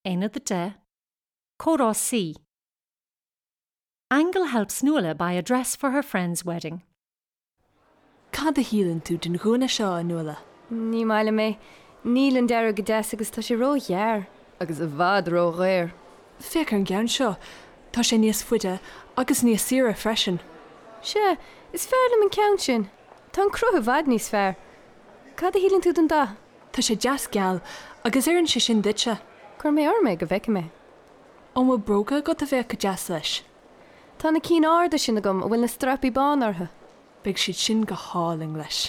Aonad 10, Comhrá C. Aingeal helps Nuala buy a dress for her friend's wedding. Cad a shíleann tú den ghúna seo, a Nuala? Ní maith liom é. Níl an dearadh go deas agus tá sé ró-ghearr. Agus i bhfad ró-dhaor. Féach ar an gceann seo. Tá sé níos faide agus níos saoire freisin. Sea, is fearr liom an ceann sin. Tá an cruth i bhfad níos fearr. Cad a shíleann tú den dath? Tá sé deas geal, agus oireann sé sin duitse. Cuir mé orm é go bhfeicfidh mé. An bhfuil bróga agat a bheadh go deas leis? Tá na cinn arda sin agam a bhfuil na strapaí bána orthu. Beidh siad sin go hálainn leis.